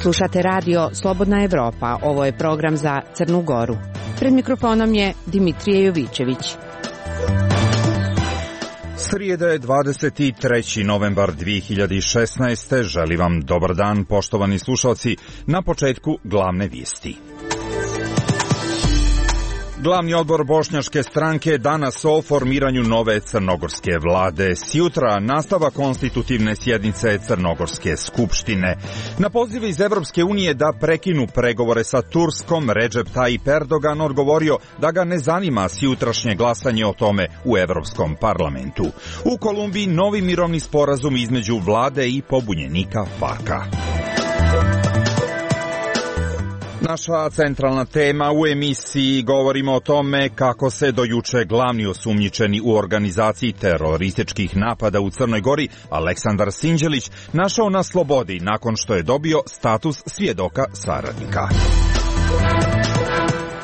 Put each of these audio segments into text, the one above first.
Slušate radio Slobodna Evropa. Ovo je program za Crnu Goru. Pred mikrofonom je Dimitrije Jovićević. Srijeda je 23. novembar 2016. Želim vam dobar dan, poštovani slušalci. Na početku glavne vijesti. Glavni odbor Bošnjačke stranke danas o formiranju nove crnogorske vlade. Sjutra nastava konstitutivne sjednice Crnogorske skupštine. Na poziv iz Evropske unije da prekinu pregovore sa Turskom, Recep Tayyip Erdogan odgovorio da ga ne zanima sjutrašnje glasanje o tome u Evropskom parlamentu. U Kolumbiji novi mirovni sporazum između vlade i pobunjenika FARC-a. Naša centralna tema u emisiji govorimo o tome kako se do juče glavni osumnjičeni u organizaciji terorističkih napada u Crnoj Gori, Aleksandar Sinđelić, našao na slobodi nakon što je dobio status svjedoka saradnika.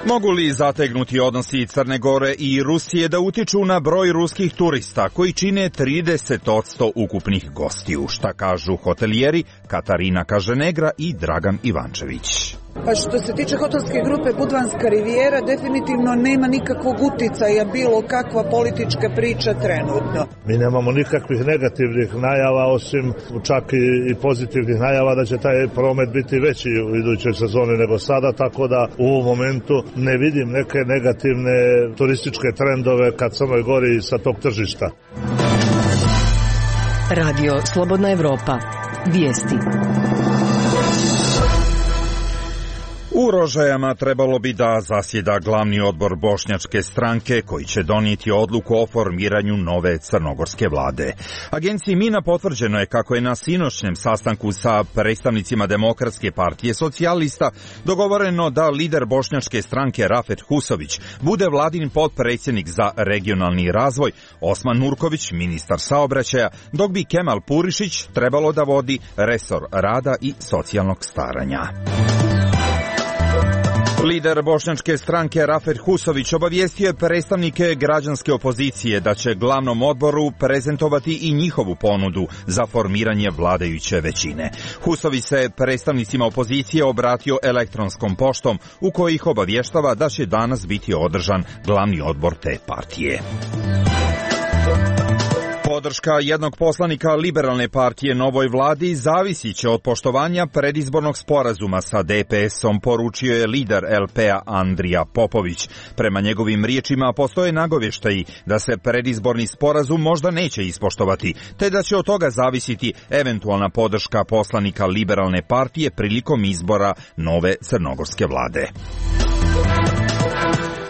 Mogu li zategnuti odnosi Crne Gore i Rusije da utiču na broj ruskih turista koji čine 30% ukupnih gostiju? Šta kažu hotelijeri Katarina Kaženegra i Dragan Ivančević? Pa što se tiče hotelske grupe Budvanska rivijera, definitivno nema nikakvog uticaja bilo kakva politička priča trenutno. Mi nemamo nikakvih negativnih najava, osim čak i pozitivnih najava da će taj promet biti veći u idućoj sezoni nego sada, tako da u ovom momentu ne vidim neke negativne turističke trendove ka Crnoj Gori sa tog tržišta. Radio Slobodna Evropa. Vijesti. U Rožajama trebalo bi da zasjeda glavni odbor Bošnjačke stranke koji će donijeti odluku o formiranju nove crnogorske vlade. Agenciji Mina potvrđeno je kako je na sinoćnjem sastanku sa predstavnicima Demokratske partije socijalista dogovoreno da lider Bošnjačke stranke Rafet Husović bude vladin potpredsjednik za regionalni razvoj, Osman Nurković ministar saobraćaja, dok bi Kemal Purišić trebalo da vodi resor rada i socijalnog staranja. Lider Bošnjačke stranke Rafet Husović obavijestio je predstavnike građanske opozicije da će glavnom odboru prezentovati i njihovu ponudu za formiranje vladajuće većine. Husović se predstavnicima opozicije obratio elektronskom poštom u kojoj ih obavještava da će danas biti održan glavni odbor te partije. Podrška jednog poslanika liberalne partije novoj vladi zavisit će od poštovanja predizbornog sporazuma sa DPS-om, poručio je lider LP-a Andrija Popović. Prema njegovim riječima postoje nagovještaji da se predizborni sporazum možda neće ispoštovati, te da će od toga zavisiti eventualna podrška poslanika liberalne partije prilikom izbora nove crnogorske vlade.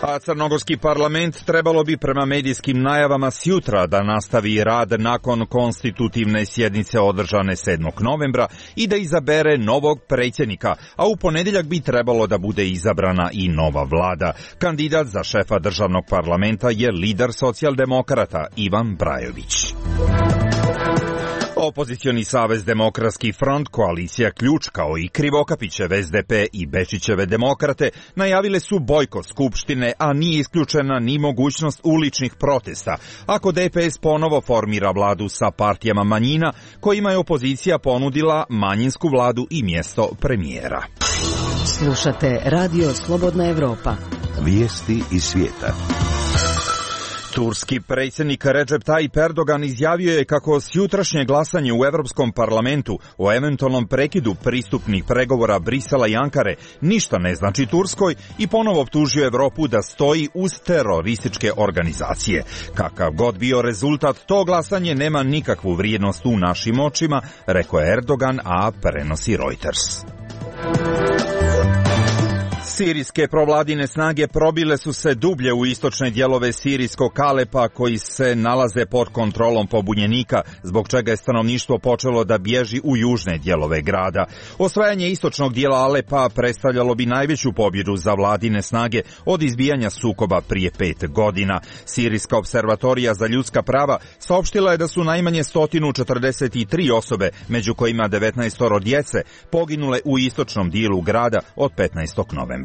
A crnogorski parlament trebalo bi prema medijskim najavama sjutra da nastavi rad nakon konstitutivne sjednice održane 7. novembra i da izabere novog predsjednika, a u ponedjeljak bi trebalo da bude izabrana i nova vlada. Kandidat za šefa državnog parlamenta je lider socijaldemokrata Ivan Brajović. Opozicioni savez Demokratski front, koalicija Ključ kao i Krivokapićev SDP i Bečićeve demokrate najavile su bojkot skupštine, a nije isključena ni mogućnost uličnih protesta ako DPS ponovo formira vladu sa partijama manjina kojima je opozicija ponudila manjinsku vladu i mjesto premijera. Slušate Radio Slobodna Evropa. Vijesti iz svijeta. Turski predsjednik Recep Tayyip Erdogan izjavio je kako sjutrašnje glasanje u Europskom parlamentu o eventualnom prekidu pristupnih pregovora Brisela i Ankare ništa ne znači Turskoj i ponovo optužio Europu da stoji uz terorističke organizacije. Kakav god bio rezultat, to glasanje nema nikakvu vrijednost u našim očima, rekao je Erdogan, a prenosi Reuters. Sirijske provladine snage probile su se dublje u istočne dijelove sirijskog Alepa koji se nalaze pod kontrolom pobunjenika, zbog čega je stanovništvo počelo da bježi u južne dijelove grada. Osvajanje istočnog dijela Alepa predstavljalo bi najveću pobjedu za vladine snage od izbijanja sukoba prije 5 godina. Sirijska observatorija za ljudska prava saopštila je da su najmanje 143 osobe, među kojima 19 djece, poginule u istočnom dijelu grada od 15. novembra.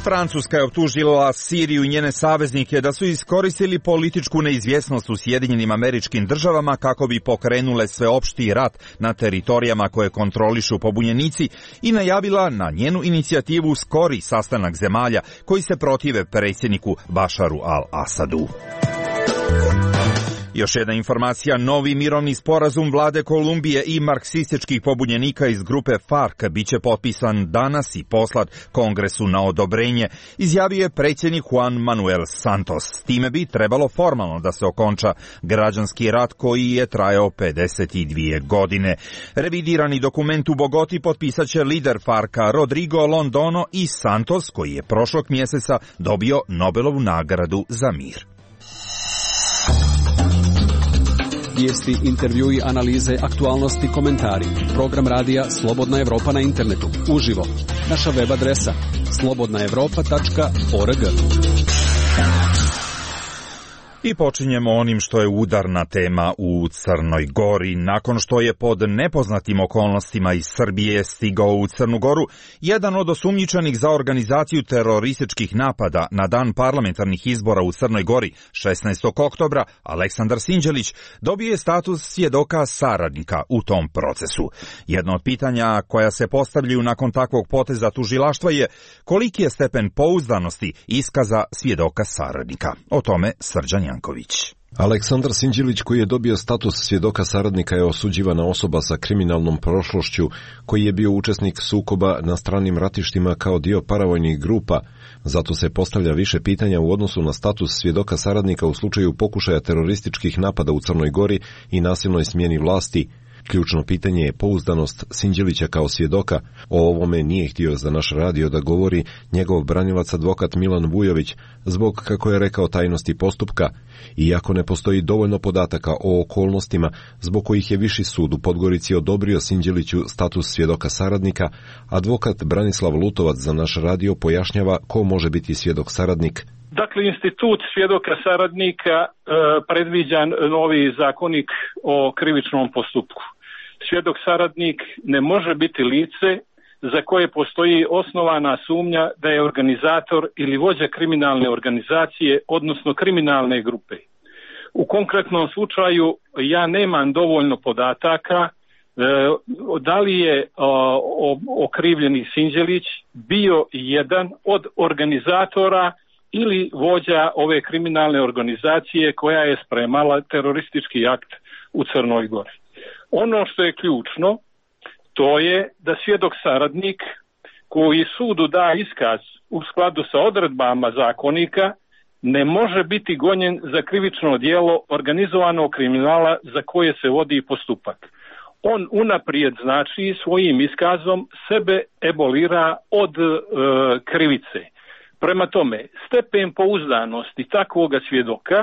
Francuska je optužila Siriju i njene saveznike da su iskoristili političku neizvjesnost u Sjedinjenim Američkim Državama kako bi pokrenule sveopšti rat na teritorijama koje kontrolišu pobunjenici i najavila na njenu inicijativu skori sastanak zemalja koji se protive predsjedniku Bašaru al-Asadu. Još jedna informacija, novi mirovni sporazum vlade Kolumbije i marksističkih pobunjenika iz grupe FARC biće potpisan danas i poslat Kongresu na odobrenje, izjavio je predsjednik Juan Manuel Santos. Time bi trebalo formalno da se okonča građanski rat koji je trajao 52 godine. Revidirani dokument u Bogoti potpisat će lider FARC-a Rodrigo Londono i Santos, koji je prošlog mjeseca dobio Nobelovu nagradu za mir. Vijesti, intervjui, analize, aktualnosti, komentari. Program radija Slobodna Evropa na internetu. Uživo. Naša web adresa slobodnaevropa.org. I počinjemo onim što je udarna tema u Crnoj Gori. Nakon što je pod nepoznatim okolnostima iz Srbije stigao u Crnu Goru, jedan od osumnjičenih za organizaciju terorističkih napada na dan parlamentarnih izbora u Crnoj Gori 16. oktobra, Aleksandar Sinđelić, dobio je status svjedoka saradnika u tom procesu. Jedno od pitanja koja se postavljaju nakon takvog poteza tužilaštva je koliki je stepen pouzdanosti iskaza svjedoka saradnika. O tome Srđan Janković. Aleksandar Sinđelić, koji je dobio status svjedoka saradnika, je osuđivana osoba sa kriminalnom prošlošću, koji je bio učesnik sukoba na stranim ratištima kao dio paravojnih grupa. Zato se postavlja više pitanja u odnosu na status svjedoka saradnika u slučaju pokušaja terorističkih napada u Crnoj Gori i nasilnoj smjeni vlasti. Ključno pitanje je pouzdanost Sinđelića kao svjedoka. O ovome nije htio za naš radio da govori njegov branilac advokat Milan Vujović zbog, kako je rekao, tajnosti postupka. Iako ne postoji dovoljno podataka o okolnostima zbog kojih je Viši sud u Podgorici odobrio Sinđeliću status svjedoka saradnika, advokat Branislav Lutovac za naš radio pojašnjava ko može biti svjedok saradnik. Dakle, institut svjedoka saradnika predviđan novi zakonik o krivičnom postupku. Svjedok saradnik ne može biti lice za koje postoji osnovana sumnja da je organizator ili vođa kriminalne organizacije, odnosno kriminalne grupe. U konkretnom slučaju ja nemam dovoljno podataka da li je okrivljeni Sinđelić bio jedan od organizatora ili vođa ove kriminalne organizacije koja je spremala teroristički akt u Crnoj Gori. Ono što je ključno, to je da svjedok saradnik koji sudu da iskaz u skladu sa odredbama zakonika ne može biti gonjen za krivično djelo organizovanog kriminala za koje se vodi postupak. On unaprijed, znači, svojim iskazom sebe ebolira od krivice. Prema tome, stepen pouzdanosti takvoga svjedoka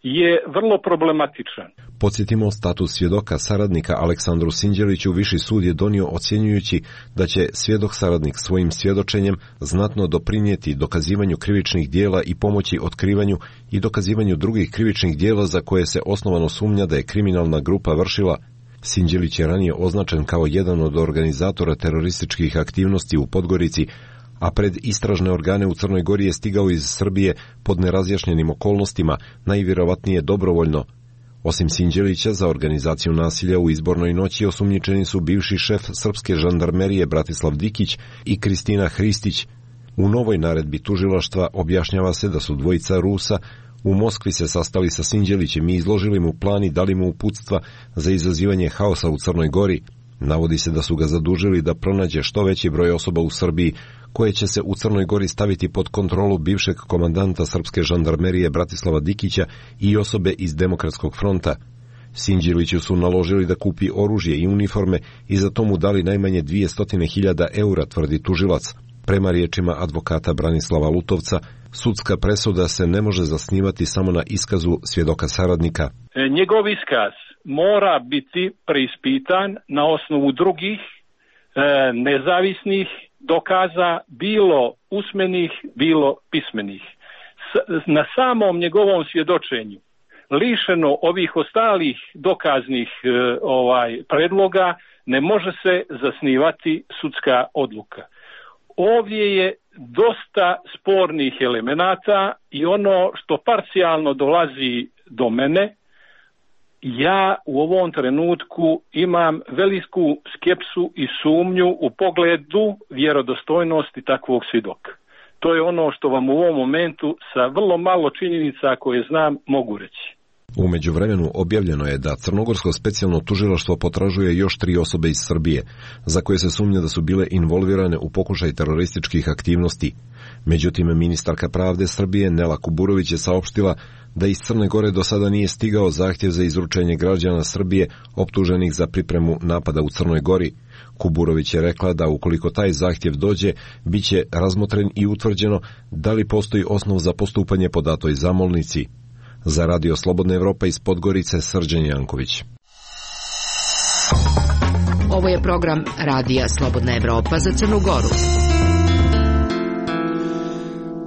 je vrlo problematičan. Podsjetimo, status svjedoka saradnika Aleksandru Sinđeliću Viši sud je donio ocjenjujući da će svjedok saradnik svojim svjedočenjem znatno doprinijeti dokazivanju krivičnih djela i pomoći otkrivanju i dokazivanju drugih krivičnih djela za koje se osnovano sumnja da je kriminalna grupa vršila. Sinđelić je ranije označen kao jedan od organizatora terorističkih aktivnosti u Podgorici, a pred istražne organe u Crnoj Gori je stigao iz Srbije pod nerazjašnjenim okolnostima, najvjerovatnije dobrovoljno. Osim Sinđelića, za organizaciju nasilja u izbornoj noći osumnjičeni su bivši šef srpske žandarmerije Bratislav Dikić i Kristina Hristić. U novoj naredbi tužilaštva objašnjava se da su dvojica Rusa u Moskvi se sastali sa Sinđelićem i izložili mu plan i dali mu uputstva za izazivanje haosa u Crnoj Gori. Navodi se da su ga zadužili da pronađe što veći broj osoba u Srbiji koje će se u Crnoj Gori staviti pod kontrolu bivšeg komandanta srpske žandarmerije Bratislava Dikića i osobe iz Demokratskog fronta. Sinđeliću su naložili da kupi oružje i uniforme i za to mu dali najmanje 200.000 eura, tvrdi tužilac. Prema riječima advokata Branislava Lutovca, sudska presuda se ne može zasnivati samo na iskazu svjedoka saradnika. Njegov iskaz mora biti preispitan na osnovu drugih nezavisnih dokaza, bilo usmenih, bilo pismenih. Na samom njegovom svjedočenju, lišeno ovih ostalih dokaznih predloga, ne može se zasnivati sudska odluka. ovdje je dosta spornih elemenata i ono što parcijalno dolazi do mene, ja u ovom trenutku imam veliku skepsu i sumnju u pogledu vjerodostojnosti takvog svjedoka. To je ono što vam u ovom momentu sa vrlo malo činjenica koje znam mogu reći. U međuvremenu objavljeno je da Crnogorsko specijalno tužilaštvo potražuje još 3 osobe iz Srbije, za koje se sumnja da su bile involvirane u pokušaj terorističkih aktivnosti. Međutim, ministarka pravde Srbije Nela Kuburović je saopštila da iz Crne Gore do sada nije stigao zahtjev za izručenje građana Srbije optuženih za pripremu napada u Crnoj Gori. Kuburović je rekla da ukoliko taj zahtjev dođe, bit će razmotren i utvrđeno da li postoji osnov za postupanje po datoj zamolnici. Za Radio Slobodna Evropa iz Podgorice, Srđan Janković. Ovo je program Radija Slobodna Evropa za Crnu Goru.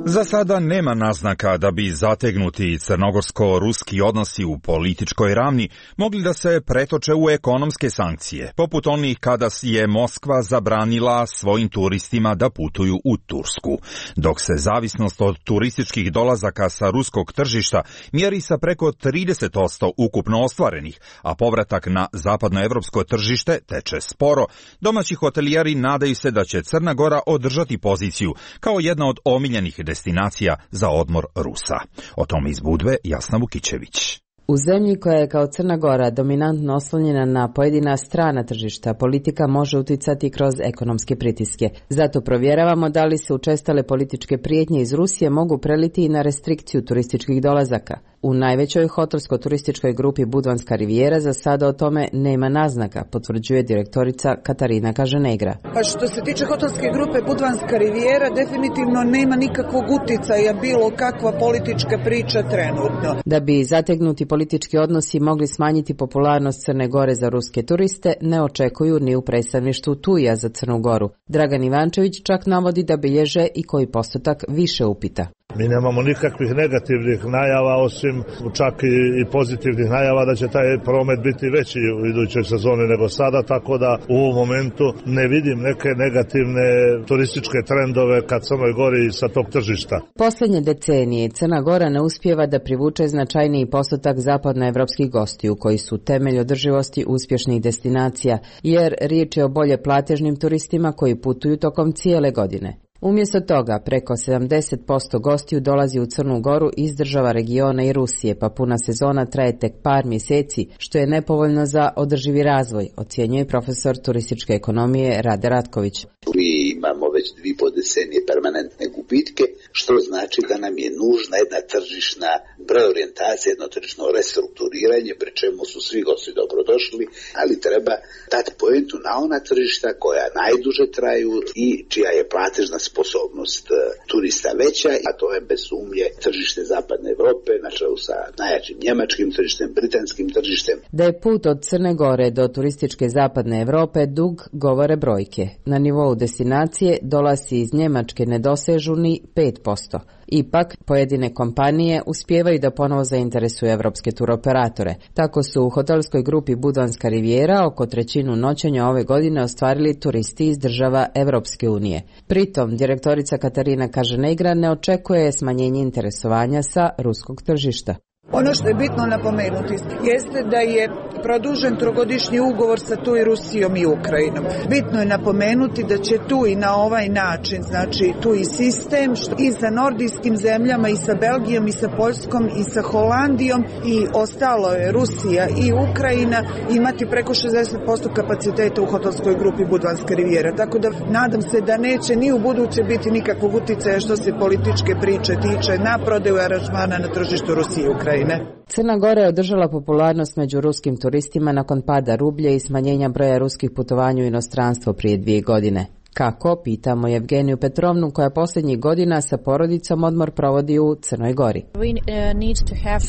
Za sada nema naznaka da bi zategnuti crnogorsko-ruski odnosi u političkoj ravni mogli da se pretoče u ekonomske sankcije, poput onih kada je Moskva zabranila svojim turistima da putuju u Tursku, dok se zavisnost od turističkih dolazaka sa ruskog tržišta mjeri sa preko 30% ukupno ostvarenih, a povratak na zapadnoevropsko tržište teče sporo. Domaći hotelijari nadaju se da će Crna Gora održati poziciju kao jedna od omiljenih destinacija za odmor Rusa. O tome iz Budve Jasna Vukićević. U zemlji koja je kao Crna Gora dominantno oslonjena na pojedina strana tržišta, politika može uticati kroz ekonomske pritiske. Zato provjeravamo da li se učestale političke prijetnje iz Rusije mogu preliti i na restrikciju turističkih dolazaka. U najvećoj hotelsko-turističkoj grupi Budvanska rivijera za sada o tome nema naznaka, potvrđuje direktorica Katarina Kaženegra. Pa što se tiče hotelske grupe Budvanska rivijera, definitivno nema nikakvog uticaja bilo kakva politička priča trenutno. Da bi zategnuti politički odnosi mogli smanjiti popularnost Crne Gore za ruske turiste, ne očekuju ni u predstavništvu TUI-a za Crnu Goru. Dragan Ivančević čak navodi da bilježe i koji postotak više upita. Mi nemamo nikakvih negativnih najava, osim čak i pozitivnih najava da će taj promet biti veći u idućoj sezoni nego sada, tako da u ovom momentu ne vidim neke negativne turističke trendove ka Crnoj Gori sa tog tržišta. Posljednje decenije Crna Gora ne uspijeva da privuče značajniji postotak zapadnoevropskih gostiju koji su temelj održivosti uspješnih destinacija, jer riječ je o bolje platežnim turistima koji putuju tokom cijele godine. Umjesto toga, preko 70% gostiju dolazi u Crnu Goru iz država regiona i Rusije, pa puna sezona traje tek par mjeseci, što je nepovoljno za održivi razvoj, ocjenjuje profesor turističke ekonomije Rade Ratković. Mi imamo već 2,5 decenije permanentne gubitke, što znači da nam je nužna jedna tržišna preorijentacija, jedno tržišno restrukturiranje, pri čemu su svi gosti dobrodošli, ali treba dati poentu na ona tržišta koja najduže traju i čija je platežna sposobnost turista veća, a to je bez sumnje tržište Zapadne Evrope, na čelu sa najjačim njemačkim tržištem, britanskim tržištem. Da je put od Crne Gore do turističke Zapadne Evrope dug, govore brojke. Na nivou destinacije dolazi iz Njemačke ne dosežu ni 5%. Ipak, pojedine kompanije uspijevaju da ponovo zainteresuju evropske turoperatore. Tako su u hotelskoj grupi Budvanska rivijera oko trećinu noćenja ove godine ostvarili turisti iz država Evropske unije. Pritom, direktorica Katarina Kaženegra ne očekuje smanjenje interesovanja sa ruskog tržišta. Ono što je bitno napomenuti jeste da je produžen trogodišnji ugovor sa TUI Rusijom i Ukrajinom. Bitno je napomenuti da će TUI na ovaj način, znači TUI sistem i sa nordijskim zemljama i sa Belgijom i sa Poljskom i sa Holandijom i ostalo je Rusija i Ukrajina imati preko 60% kapaciteta u hotelskoj grupi Budvanska rivijera. Tako da nadam se da neće ni u buduće biti nikakvog uticaja što se političke priče tiče na prodaju aranžmana na tržištu Rusije i Ukrajine. Crna Gora je održala popularnost među ruskim turistima nakon pada rublja i smanjenja broja ruskih putovanja u inostranstvo prije 2 godine. Kako, pitamo Evgeniju Petrovnu, koja posljednjih godina sa porodicom odmor provodi u Crnoj Gori. We need to have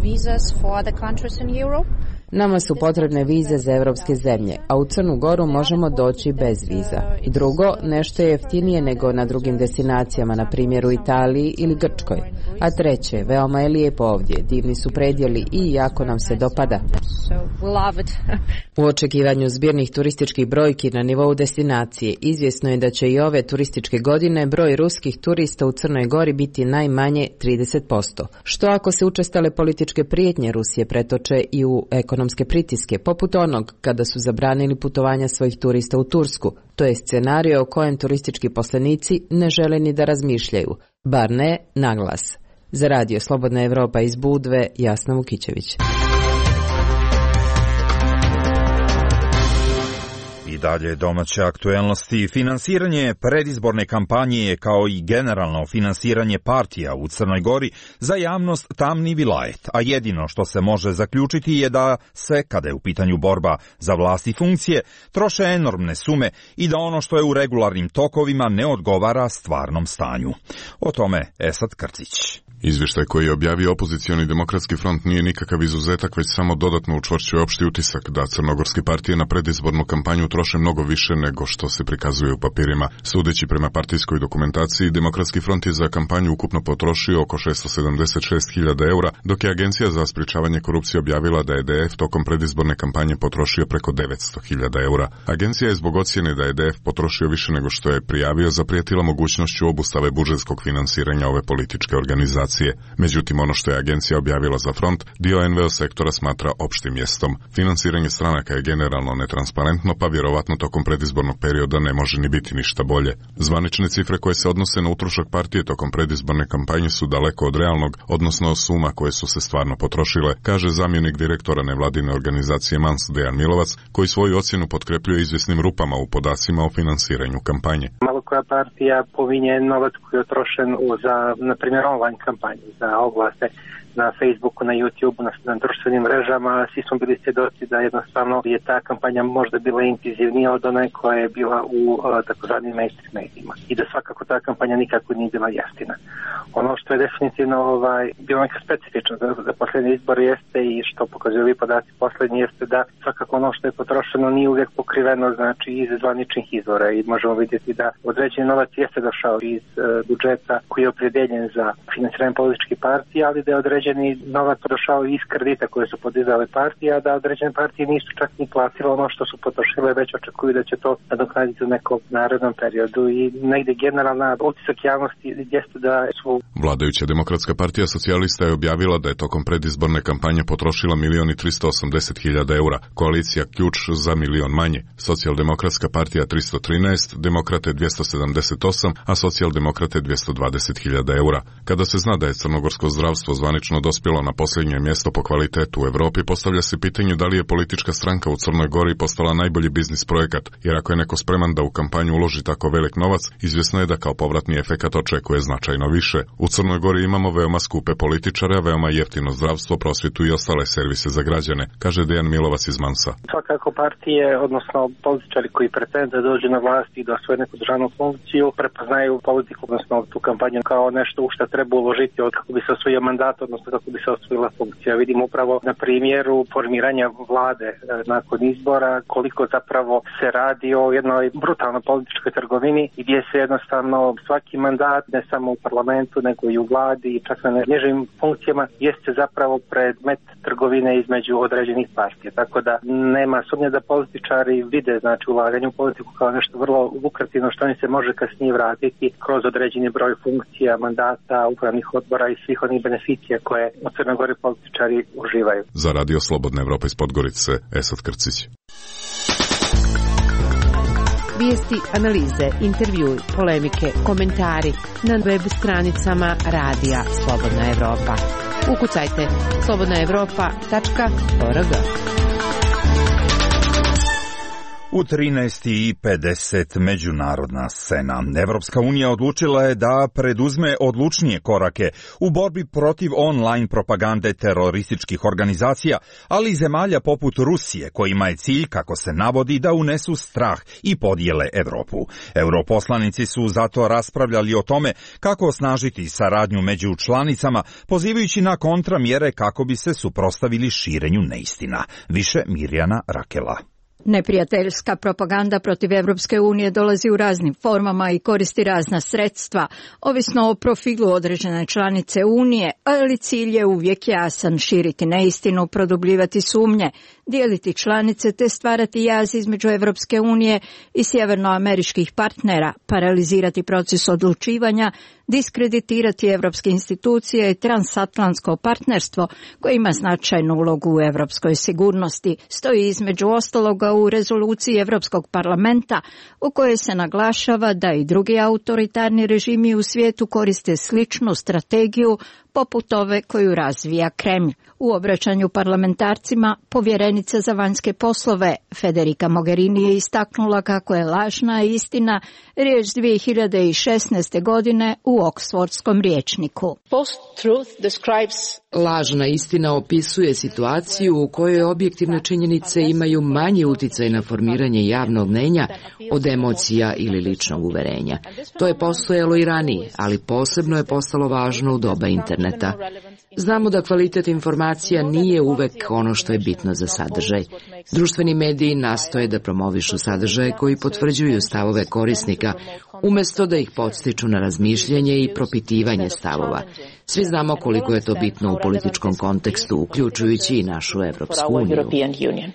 visas for other countries in Europe. Nama su potrebne vize za evropske zemlje, a u Crnu Goru možemo doći bez viza. Drugo, nešto je jeftinije nego na drugim destinacijama, na primjer u Italiji ili Grčkoj. A treće, veoma je lijepo ovdje, divni su predjeli i jako nam se dopada. U očekivanju zbirnih turističkih brojki na nivou destinacije, izvjesno je da će i ove turističke godine broj ruskih turista u Crnoj Gori biti najmanje 30%. Što ako se učestale političke prijetnje Rusije pretoče i u ekonomske pritiske, poput onog kada su zabranili putovanja svojih turista u Tursku? To je scenario o kojem turistički poslenici ne žele ni da razmišljaju, bar ne naglas. Za radio Slobodna Evropa iz Budve, Jasna Vukićević. I dalje domaće aktuelnosti. Finansiranje predizborne kampanje kao i generalno finansiranje partija u Crnoj Gori za javnost tamni vilajet, a jedino što se može zaključiti je da se, kada je u pitanju borba za vlast i funkcije, troše enormne sume i da ono što je u regularnim tokovima ne odgovara stvarnom stanju. O tome Esad Krcić. Izvještaj koji je objavio opozicioni demokratski front nije nikakav izuzetak, već samo dodatno učvršćuje opšti utisak da crnogorske partije na predizbornu kampanju troše mnogo više nego što se prikazuje u papirima. Sudeći prema partijskoj dokumentaciji, demokratski front je za kampanju ukupno potrošio oko 676.000 eura, dok je Agencija za sprječavanje korupcije objavila da je DF tokom predizborne kampanje potrošio preko 900.000 eura. Agencija je zbog ocjene da je DF potrošio više nego što je prijavio zaprijetila mogućnošću obustave budžetskog finansiranja ove političke organizacije. Međutim, ono što je agencija objavila za front, dio NVO sektora smatra opštim mjestom. Finansiranje stranaka je generalno netransparentno, pa vjerovatno tokom predizbornog perioda ne može ni biti ništa bolje. Zvanične cifre koje se odnose na utrošak partije tokom predizborne kampanje su daleko od realnog, odnosno suma koje su se stvarno potrošile, kaže zamjenik direktora nevladine organizacije MANS Dejan Milovac, koji svoju ocjenu potkrepljuje izvjesnim rupama u podacima o finansiranju kampanje. Malo koja partija pominje novac koji je utrošen za, na primjer, online kampanju, za oglase na Facebooku, na YouTubeu, na društvenim mrežama. Svi smo bili svjedoci da jednostavno je ta kampanja možda bila intenzivnija od one koja je bila u takozvanim mainstream medijima. I da svakako ta kampanja nikako nije bila jeftina. Ono što je definitivno bilo neka specifično za posljednje izbore jeste i što pokazuju ovi podaci posljednji jeste da svakako ono što je potrošeno nije uvijek pokriveno znači iz zvaničnih izvora i možemo vidjeti da određeni novac jeste došao iz budžeta koji je opredeljen za finansiranje političkih partija, ali da je određeni novac došao iz kredita koje su podizale partije, a da određene partije nisu čak ni platile ono što su potrošile, već očekuju da će to nadoknaditi u nekom narednom periodu i negdje generalna utisak javnosti jeste da su... Vladajuća demokratska partija socijalista je objavila da je tokom predizborne kampanje potrošila 1.380.000 eura, koalicija Ključ za 1.000.000 manje, socijaldemokratska partija 313, demokrate 278, a socijaldemokrate 220.000 eura. Kada se zna da je crnogorsko zdravstvo zvanično dospjelo na posljednje mjesto po kvalitetu u Europi, postavlja se pitanje da li je politička stranka u Crnoj Gori postala najbolji biznis projekat, jer ako je neko spreman da u kampanju uloži tako velik novac, izvjesno je da kao povratni efekat očekuje značajno više. U Crnoj Gori imamo veoma skupe političare, veoma jeftino zdravstvo, prosvjetu i ostale servise za građane, kaže Dejan Milovac iz Mansa. Svakako partije, odnosno političari koji pretende da dođu na vlast i da osvoje neku državnu funkciju, prepoznaju politiku, odnosno tu kampanju kao nešto u što treba uložiti od kako bi se osvojio mandat, odnosno kako bi se osvojila funkcija. Vidimo upravo na primjeru formiranja vlade nakon izbora koliko zapravo se radi o jednoj brutalnoj političkoj trgovini gdje se jednostavno svaki mandat, ne samo u parlamentu nego i u vladi i čak na nižim funkcijama, jeste zapravo predmet trgovine između određenih partija. Tako da nema sumnje da političari vide znači ulaganje u politiku kao nešto vrlo lukrativno što im se može kasnije vratiti kroz određeni broj funkcija, mandata, upravnih odbora i svih onih beneficija koje u Crnoj Gori političari uživaju. Za radio Slobodna Evropa iz Podgorice, Esad Krcić. Vijesti, analize, intervjui, polemike, komentari na web stranicama Radija Slobodna Evropa. Ukucajte slobodnaevropa.org. U 13:50 međunarodna scena. Evropska unija odlučila je da preduzme odlučnije korake u borbi protiv online propagande terorističkih organizacija, ali i zemalja poput Rusije, kojima je cilj, kako se navodi, da unesu strah i podijele Evropu. Europoslanici su zato raspravljali o tome kako osnažiti saradnju među članicama, pozivajući na kontramjere kako bi se suprotstavili širenju neistina. Više Mirjana Rakela. Neprijateljska propaganda protiv Evropske unije dolazi u raznim formama i koristi razna sredstva, ovisno o profilu određene članice Unije, ali cilj je uvijek jasan: širiti neistinu, produbljivati sumnje, dijeliti članice te stvarati jaz između Evropske unije i sjevernoameričkih partnera, paralizirati proces odlučivanja, diskreditirati evropske institucije i transatlantsko partnerstvo koje ima značajnu ulogu u evropskoj sigurnosti. Stoji između ostaloga u rezoluciji Evropskog parlamenta u kojoj se naglašava da i drugi autoritarni režimi u svijetu koriste sličnu strategiju poput ove koju razvija Kremlj. U obraćanju parlamentarcima povjerenica za vanjske poslove Federica Mogherini je istaknula kako je lažna istina riječ 2016. godine u Oksfordskom rječniku. Lažna istina opisuje situaciju u kojoj objektivne činjenice imaju manji utjecaj na formiranje javnog mnjenja od emocija ili ličnog uverenja. To je postojalo i ranije, ali posebno je postalo važno u doba interneta. Znamo da kvalitet informacija nije uvek ono što je bitno za sadržaj. Društveni mediji nastoje da promovišu sadržaje koji potvrđuju stavove korisnika, umjesto da ih podstiču na razmišljanje i propitivanje stavova. Svi znamo koliko je to bitno u političkom kontekstu, uključujući i našu Evropsku uniju.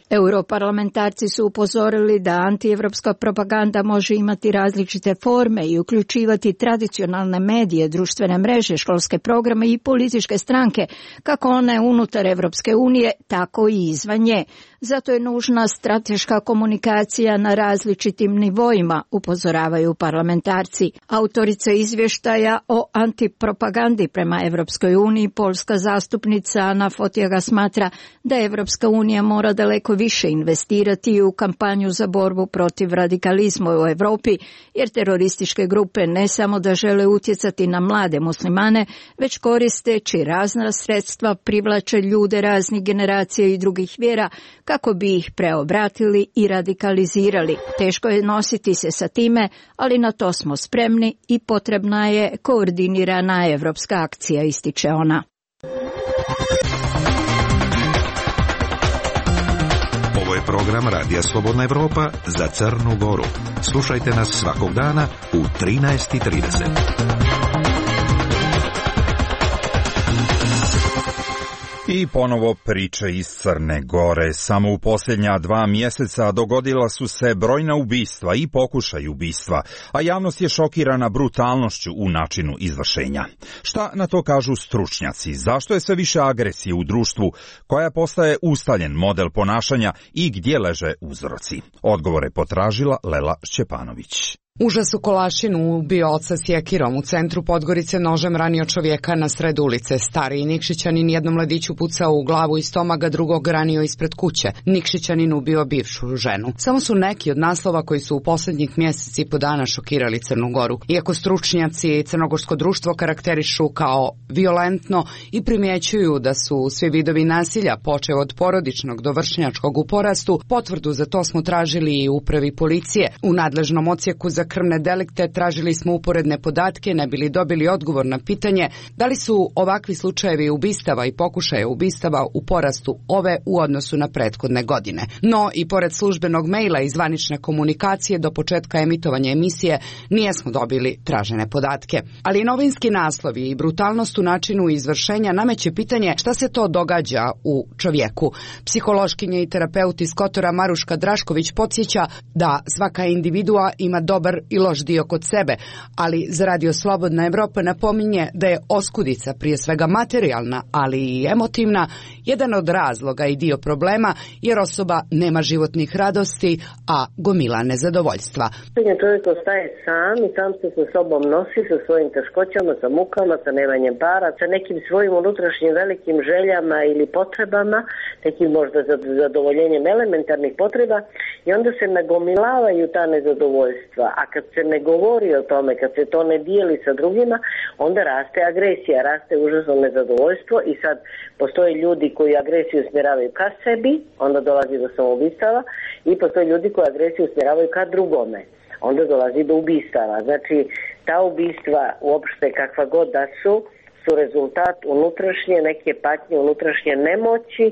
Europarlamentarci su upozorili da antievropska propaganda može imati različite forme i uključivati tradicionalne medije, društvene mreže, školske programe i političke stranke, kako one unutar Evropske unije, tako i izvan nje. Zato je nužna strateška komunikacija na različitim nivoima, upozoravaju parlamentarci. Autorica izvještaja o antipropagandi prema Evropskoj uniji, poljska zastupnica Ana Fotiga, smatra da Evropska unija mora daleko više investirati u kampanju za borbu protiv radikalizma u Europi, jer terorističke grupe ne samo da žele utjecati na mlade muslimane, već koristeći razna sredstva privlače ljude raznih generacija i drugih vjera kako bi ih preobratili i radikalizirali. Teško je nositi se sa time, ali na to smo spremni i potrebna je koordinirana evropska akcija, ističe ona. Ovo je program Radija Slobodna Evropa za Crnu Goru. Slušajte nas svakog dana u 13:30. I ponovo priče iz Crne Gore. Samo u posljednja 2 mjeseca dogodila su se brojna ubistva i pokušaj ubistva, a javnost je šokirana brutalnošću u načinu izvršenja. Šta na to kažu stručnjaci? Zašto je sve više agresije u društvu, koja postaje ustaljen model ponašanja i gdje leže uzroci? Odgovore potražila Lela Šćepanović. Užas u Kolašinu ubio oca sjekirom, u centru Podgorice nožem ranio čovjeka na sred ulice. Stariji Nikšićanin jednom mladiću pucao u glavu i stomak, drugog ranio ispred kuće. Nikšićanin ubio bivšu ženu. Samo su neki od naslova koji su u posljednjih mjesec i po dana šokirali Crnu Goru. Iako stručnjaci crnogorsko društvo karakterišu kao violentno i primjećuju da su svi vidovi nasilja, počev od porodičnog do vršnjačkog, u porastu, potvrdu za to smo tražili i u upravi policije. U nadležnom odsjeku za krvne delikte tražili smo uporedne podatke, ne bili dobili odgovor na pitanje da li su ovakvi slučajevi ubistava i pokušaja ubistava u porastu ove u odnosu na prethodne godine. No i pored službenog maila i zvanične komunikacije do početka emitovanja emisije nijesmo dobili tražene podatke. Ali novinski naslovi i brutalnost u načinu izvršenja nameće pitanje šta se to događa u čovjeku. Psihološkinja i terapeut iz Kotora Maruška Drašković podsjeća da svaka individua ima dobar dobar i loš dio kod sebe, ali za Radio Slobodna Evropa napominje da je oskudica, prije svega materijalna, ali i emotivna, jedan od razloga i dio problema, jer osoba nema životnih radosti, a gomila nezadovoljstva. Čovjek ostaje sam i sam se sa sobom nosi, sa svojim teškoćama, sa mukama, sa nemanjem para, sa nekim svojim unutrašnjim velikim željama ili potrebama, nekim možda zadovoljenjem elementarnih potreba, i onda se nagomilavaju ta nezadovoljstva. A kad se ne govori o tome, kad se to ne dijeli sa drugima, onda raste agresija, raste užasno nezadovoljstvo i sad postoje ljudi koji agresiju usmjeravaju ka sebi, onda dolazi do samoubistava, i postoje ljudi koji agresiju usmjeravaju ka drugome, onda dolazi do ubistava. Znači, ta ubistva uopšte kakva god da su rezultat unutrašnje neke patnje, unutrašnje nemoći.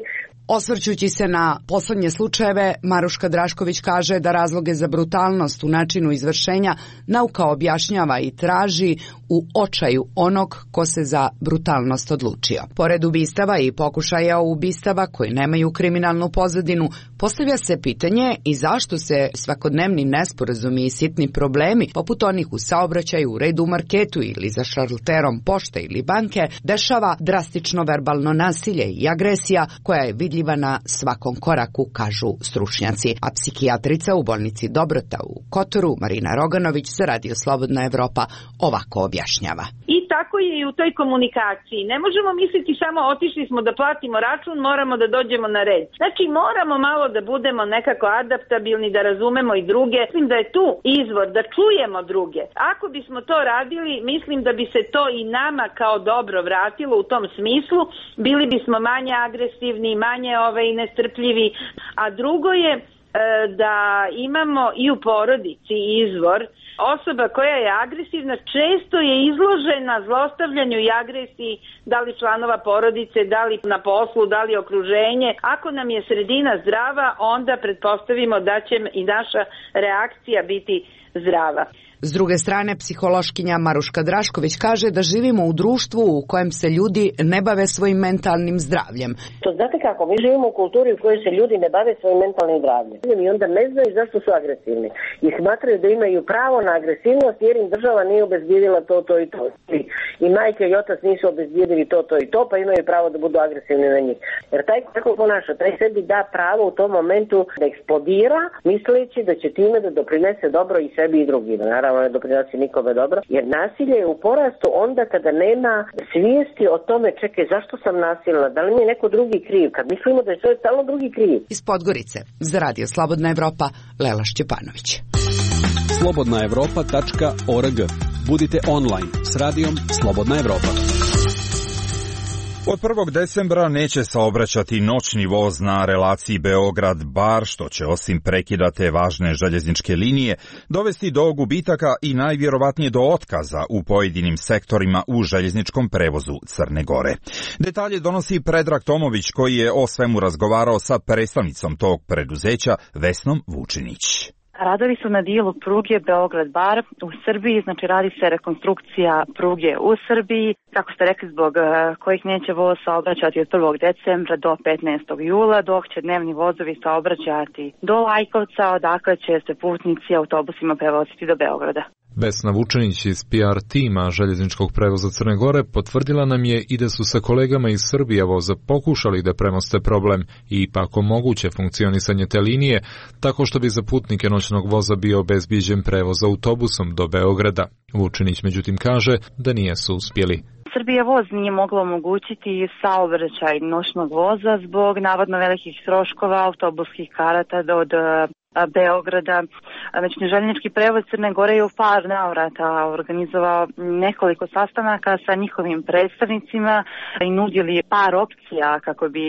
Osvrćući se na poslednje slučajeve, Maruška Drašković kaže da razloge za brutalnost u načinu izvršenja nauka objašnjava i traži u očaju onog ko se za brutalnost odlučio. Pored ubistava i pokušaja ubistava koji nemaju kriminalnu pozadinu, postavlja se pitanje i zašto se svakodnevni nesporazumi i sitni problemi, poput onih u saobraćaju, u redu u marketu ili za šalterom pošte ili banke, dešava drastično verbalno nasilje i agresija koja je vidljiva na svakom koraku, kažu stručnjaci. A psihijatrica u bolnici Dobrota u Kotoru, Marina Roganović, za Radio Slobodna Evropa, ovako objašnjava. I tako je i u toj komunikaciji. Ne možemo misliti samo otišli smo da platimo račun, moramo da dođemo na red. Znači moramo malo da budemo nekako adaptabilni, da razumemo i druge. Mislim da je tu izvor, da čujemo druge. Ako bismo to radili, mislim da bi se to i nama kao dobro vratilo u tom smislu. Bili bismo manje agresivni, manje nestrpljivi. A drugo je da imamo i u porodici izvor. Osoba koja je agresivna često je izložena zlostavljanju i agresiji, da li članova porodice, da li na poslu, da li okruženje. Ako nam je sredina zdrava, onda pretpostavimo da će i naša reakcija biti zdrava. S druge strane, psihološkinja Maruška Drašković kaže da živimo u društvu u kojem se ljudi ne bave svojim mentalnim zdravljem. To znate kako, mi živimo u kulturi u kojoj se ljudi ne bave svojim mentalnim zdravljem. I onda ne znaju zašto su agresivni. I smatraju da imaju pravo na agresivnost jer im država nije obezbijedila to i to. I majke i otac nisu obezbijedili to i to, pa imaju pravo da budu agresivni na njih. Jer taj kako ponaša, taj sebi da pravo u tom momentu da eksplodira, misleći da će time da doprinese dobro i sebi i drugima. Naravno, ne doprinosi nikome dobro, jer nasilje je u porastu onda kada nema svijesti o tome, čekaj, zašto sam nasilna, da li mi je neko drugi kriv, kad mislimo da je to stalno drugi kriv. Iz Podgorice, za Radio Slobodna Evropa, Lela Šćepanović. slobodnaevropa.org. Budite online s radijom Slobodna Evropa. Od 1. decembra neće saobraćati noćni voz na relaciji Beograd-Bar, što će osim prekida te važne željezničke linije dovesti do gubitaka i najvjerovatnije do otkaza u pojedinim sektorima u željezničkom prevozu Crne Gore. Detalje donosi Predrag Tomović, koji je o svemu razgovarao sa predstavnicom tog preduzeća Vesnom Vučinić. Radovi su na dijelu pruge Beograd-Bar u Srbiji, znači radi se rekonstrukcija pruge u Srbiji, kako ste rekli, zbog kojih neće voz saobraćati od 1. decembra do 15. jula, dok će dnevni vozovi saobraćati do Lajkovca, odakle će se putnici autobusima prevoziti do Beograda. Vesna Vučinić iz PR tima željezničkog prevoza Crne Gore potvrdila nam je i da su sa kolegama iz Srbija voza pokušali da premoste problem i ipak omoguće funkcionisanje te linije, tako što bi za putnike noćnog voza bio obezbijeđen prevoz autobusom do Beograda. Vučinić međutim kaže da nisu uspjeli. Srbija voz nije mogla omogućiti saobraćaj noćnog voza zbog navodno velikih troškova autobuskih karata od Beograda. Znači, željeznički prevoz Crne Gore je u par navrata organizovao nekoliko sastanaka sa njihovim predstavnicima i nudili par opcija kako bi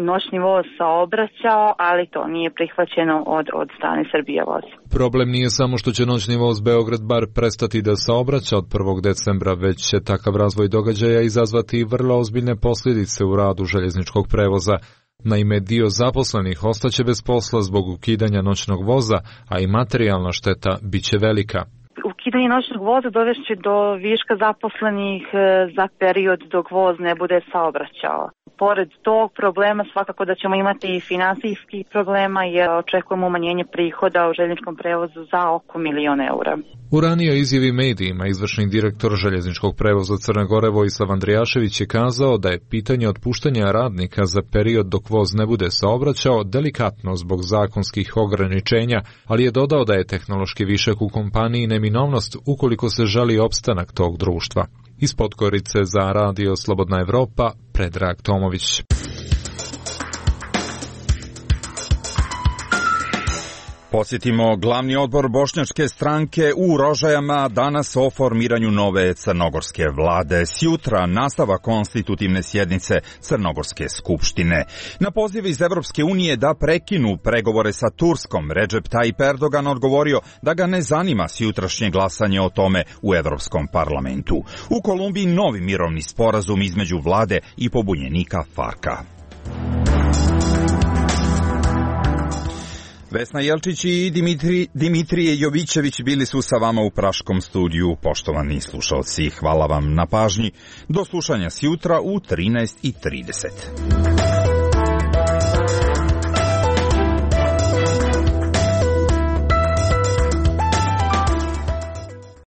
noćni voz saobraćao, ali to nije prihvaćeno od strane Srbija voz. Problem nije samo što će noćni voz Beograd-Bar prestati da saobraća od 1. decembra, već će takav razvoj događaja izazvati vrlo ozbiljne posljedice u radu željezničkog prevoza. Naime, dio zaposlenih ostaće bez posla zbog ukidanja noćnog voza, a i materijalna šteta bit će velika. Ukidanje noćnog voza dovešće do viška zaposlenih za period dok voz ne bude saobraćao. pored tog problema svakako da ćemo imati i finansijskih problema jer očekujemo umanjenje prihoda u željezničkom prevozu za oko 1.000.000 eura. U ranijoj izjavi medijima izvršni direktor željezničkog prevoza Crne Gore Vojislav Andrijašević je kazao da je pitanje otpuštanja radnika za period dok voz ne bude saobraćao delikatno zbog zakonskih ograničenja, ali je dodao da je tehnološki višak u kompaniji neminovnost ukoliko se želi opstanak tog društva. Iz Podgorice za Radio Slobodna Evropa, Predrag Tomović. Posjetimo glavni odbor bošnjačke stranke u Rožajama danas o formiranju nove crnogorske vlade. Sjutra nastava konstitutivne sjednice Crnogorske skupštine. Na poziv iz Evropske unije da prekinu pregovore sa Turskom, Recep Tayyip Erdogan odgovorio da ga ne zanima sjutrašnje glasanje o tome u Evropskom parlamentu. U Kolumbiji novi mirovni sporazum između vlade i pobunjenika FARC-a. Vesna Jelčić i Dimitrije Jovićević bili su sa vama u Praškom studiju. Poštovani slušalci, hvala vam na pažnji. Do slušanja sjutra u 13:30.